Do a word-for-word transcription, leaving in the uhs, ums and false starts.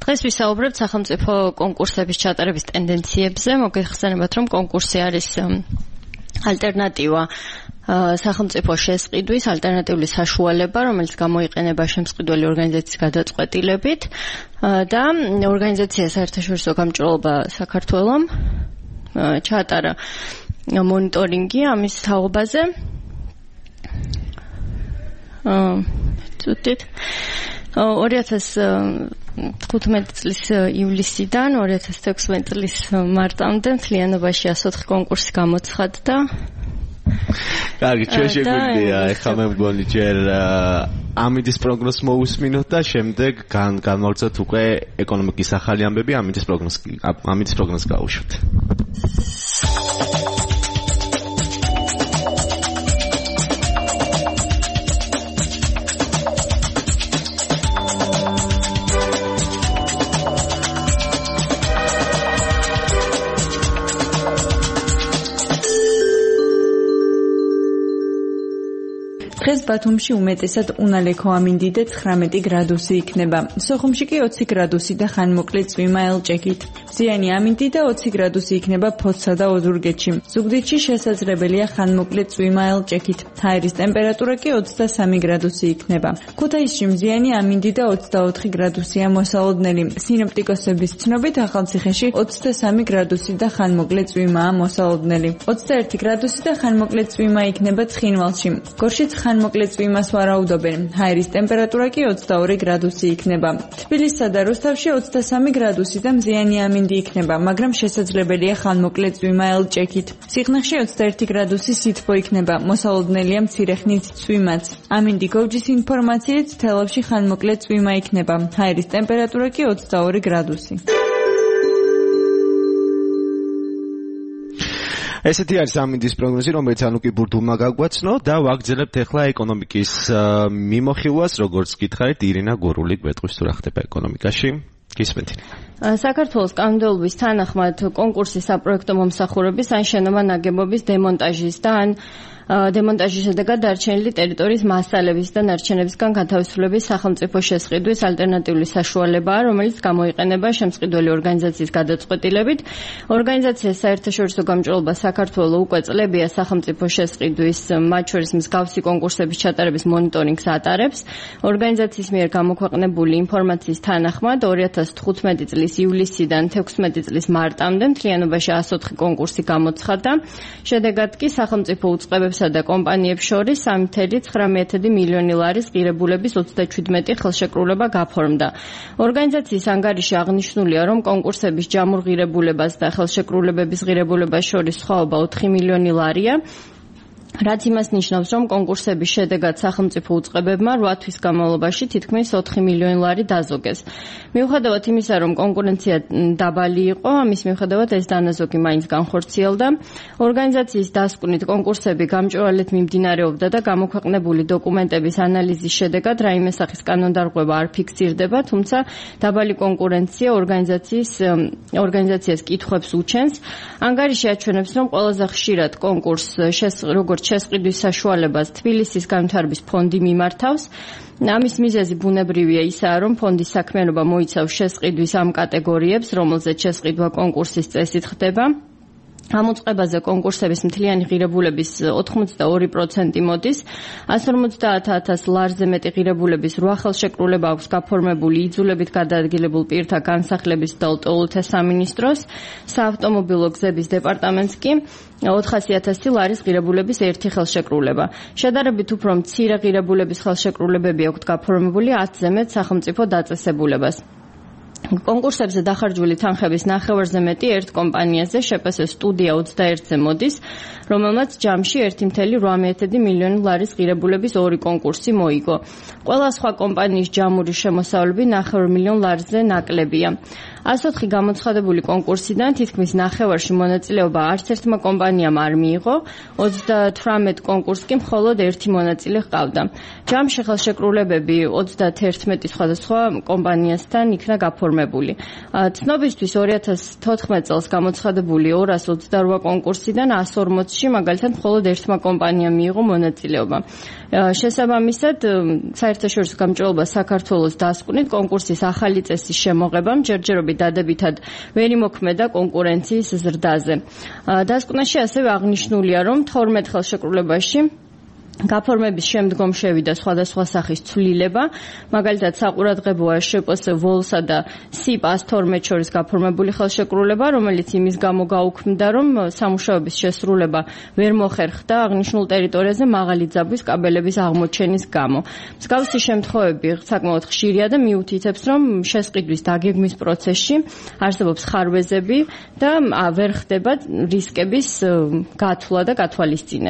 დღეს ვისაუბრებთ სახელმწიფო კონკურსების ჩატარების ტენდენციებზე. მოგეხსენებათ, რომ კონკურსი არის ალტერნატივა სახელმწიფო შესყიდვის, ალტერნატიული საშუალება, რომელიც გამოიყენება შემსყიდველი ორგანიზაციის გადაწყვეტილებით და ორგანიზაცია საერთაშორისო გამჭვირვალობა საქართველომ ჩაატარა მონიტორინგი ამის თაობაზე. წუთით ორი ათას თხუთმეტი წლის ივლისიდან ორი ათას თექვსმეტი წლის მარტამდე მთლიანობაში ასი ოთხი კონკურსი გამოცხადდა. კარგი, ჩვენ შეგვიძლია ეხლა მე მგონი ჯერ ამინდის პროგნოზს მოусმინოთ და შემდეგ განმოვწოთ უკვე ეკონომიკის ახალი ამბები, ამინდის პროგნოზს ამინდის პროგნოზს გავუშვით. დღეს ბათუმში უმეტესად უნალექო ამინდიდე ცხრამეტი გრადუსი იქნება. სოხუმში კი ოცი გრადუსი და ხანმოკლე წვიმა ელჭექით. მზიანი ამინდიდე ოცი გრადუსი იქნება ფოთსა და ოზურგეთში. ზუგდიდში შესაძლებელია ხანმოკლე წვიმა ელჭექით. ჰაერის ტემპერატურა კი ოცდასამი გრადუსი იქნება. ქუთაისში მზიანი ამინდიდე ოცდაოთხი გრადუსია მოსალოდნელი. სინოპტიკოსების ცნობით ახალციხეში ოცდასამი გრადუსი და ხანმოკლე წვიმაა მოსალოდნელი. ოცდაერთი გრადუსი და ხანმოკლე წვიმა იქნება ცხინვალში. გორშიც ხანმოკლე წვიმას ვარაუდობენ. ჰაერის ტემპერატურა კი ოცდაორი გრადუსი იქნება. თბილისსა და რუსთავში ოცდასამი გრადუსი და მზიანი ამინდი იქნება, მაგრამ შესაძლებელია ხანმოკლე წვიმა ელჭექით. სიხნაღში ოცდაერთი გრადუსი სითბო იქნება, მოსალოდნელია მცირე ხნით წვიმაც. ამინდი გოვჯის ინფორმაციით თელავში ხანმოკლე წვიმა იქნება. ჰაერის ტემპერატურა კი ოცდაორი გრადუსი. ესეთი არის ამინდის პროგნოზი, რომელიც ანუ კი ბურთულმა გაგვაცნო და ვაგრძელებთ ახლა ეკონომიკის მიმოხილვას, როგორც გითხარით, ირინა გურული გვეტყვის თუ რა ხდება ეკონომიკაში. გისმენთ. საქართველოს კანონმდებლობის თანახმად კონკურსის საპროექტო მომსახურების ან შენობა-ნაგებობის დემონტაჟის და ან დემონტაჟის შედეგად დარჩენილი ტერიტორიის მასალების და ნარჩენებისგან გათავისუფლების სახელმწიფო შესყიდვის ალტერნატიული საშუალებაა, რომელიც გამოიყენება შემსყიდველი ორგანიზაციის გადაწყვეტილებით. ორგანიზაციას საერთაშორისო გამჭვირვალობა საქართველოს უკვე წლებია სახელმწიფო შესყიდვის, მათ შორის მსგავსი კონკურსების ჩატარების მონიტორინგს ატარებს. ორგანიზაციის მიერ გამოქვეყნებული ინფორმაციის თანახმად ორი ათას თხუთმეტი წლის ივლისიდან თექვსმეტი წლის მარტამდე მთლიანობაში ასი ოთხი კონკურსი გამოცხადდა. შედეგად კი სახელმწიფო უწყებებსა და კომპანიებს შორის სამი ათეული ცხრამეტი მილიონი ლარის ღირებულების ოცდაჩვიდმეტი ხელშეკრულება გაფორმდა. ორგანიზაციის ანგარიში აღნიშნულია, რომ კონკურსების ჯამურ ღირებულებას და ხელშეკრულებების ღირებულებას შორის სხვაობა ოთხი მილიონი ლარია. რაც იმას ნიშნავს, რომ კონკურსების შედეგად სახელმწიფო უწყებებმა რვა თვის განმავლობაში თითქმის ოთხი მილიონი ლარი დაზოგეს. მიუხედავად იმისა, რომ კონკურენცია დაბალი იყო, ამის მიუხედავად ეს დანაზოგი მაინც განხორციელდა. ორგანიზაციის დასკვნით კონკურსები გამჭვირვალედ მიმდინარეობდა და გამოქვეყნებული დოკუმენტების ანალიზის შედეგად რაიმე სახის კანონდარღვევა არ ფიქსირდება, თუმცა დაბალი კონკურენცია ორგანიზაციის ორგანიზაციას კითხვებს უჩენს. ანგარიში აჩვენებს, რომ ყველაზე ხშირად კონკურსს როგორც შესყიდვის საშუალებას თბილისის განვითარების ფონდი მიმართავს. ამის მიზეზი ბუნებრივია ისაა, რომ ფონდის საქმიანობა მოიცავს შესყიდვის ამ კატეგორიებს, რომელზეც შესყიდვა კონკურსის წესით ხდება. ამ უწყებაზე კონკურსების მთლიანი ღირებულების ოთხმოცდაორი პროცენტი მოდის. ასი ორმოცდაათ ათას ლარზე მეტი ღირებულების რვა ხელშეკრულება აქვს გაფორმებული იძულებით გადაადგილებულ პირთა განსახლების და ლტოლვილთა სამინისტროს, საავტომობილო გზების დეპარტამენტს კი ოთხასი ათასი ლარის ღირებულების ერთი ხელშეკრულება. შედარებით უფრო მცირე ღირებულების ხელშეკრულებები აქვს გაფორმებული ათზე მეტ სახელმწიფო დაწესებულებას. კონკურსებზე დახარჯული თანხების ნახევარზე მეტი ერთ კომპანიაზე შეპს სტუდია ოცდაერთზე მოდის, რომელმაც ჯამში ერთი ათეული რვა მილიონი ლარის ღირებულების ორი კონკურსი მოიგო. ყველა სხვა კომპანიის ჯამური შემოსავლები ნახევარ მილიონ ლარზე ნაკლებია. ას ოთხი გამოცხადებული კონკურსიდან თითქმის ნახევარში მონაწილეობა არც ერთმა კომპანიამ არ მიიღო, ოცდათვრამეტ კონკურსს კი მხოლოდ ერთი მონაწილე ჰყავდა. ჯამში ხელშეკრულებები ოცდათერთმეტი სხვადასხვა კომპანიასთან იქნა გაფორმებული. ცნობისთვის ორი ათას თოთხმეტ წელს გამოცხადებული ორას ოცდარვა კონკურსიდან ას ორმოცში მაგალითად მხოლოდ ერთმა კომპანიამ მიიღო მონაწილეობა. შესაბამისად, საერთაშორისო გამჭვირვალობა საქართველოს დასკვნით კონკურსის ახალი წესის შემოღებამ ჯერჯერობით დადებითად ვერ იმოქმედა კონკურენციის ზრდაზე. დასკვნაში ასევე აღნიშნულია, რომ თორმეტ ხელშეკრულებაში გაფორმების შემდგომ შევიდა სხვადასხვა სახის ცვლილება, მაგალითად საყურადღებოა შპს ვოლსა და სიპას თორმეტ შორის გაფორმებული ხელშეკრულება, რომელიც იმის გამო გაუქმდა, რომ სამუშაოების შესრულება ვერ მოხერხდა აღნიშნულ ტერიტორიაზე მაღალი ძაბვის კაბელების აღმოჩენის გამო. მსგავსი შემთხვევები საკმაოდ ხშირია და მიუთითებს, რომ შესყიდვის დაგეგმვის პროცესში არსებობს ხარვეზები და ვერ ხდება რისკების გათვლა და გათვალისწინება.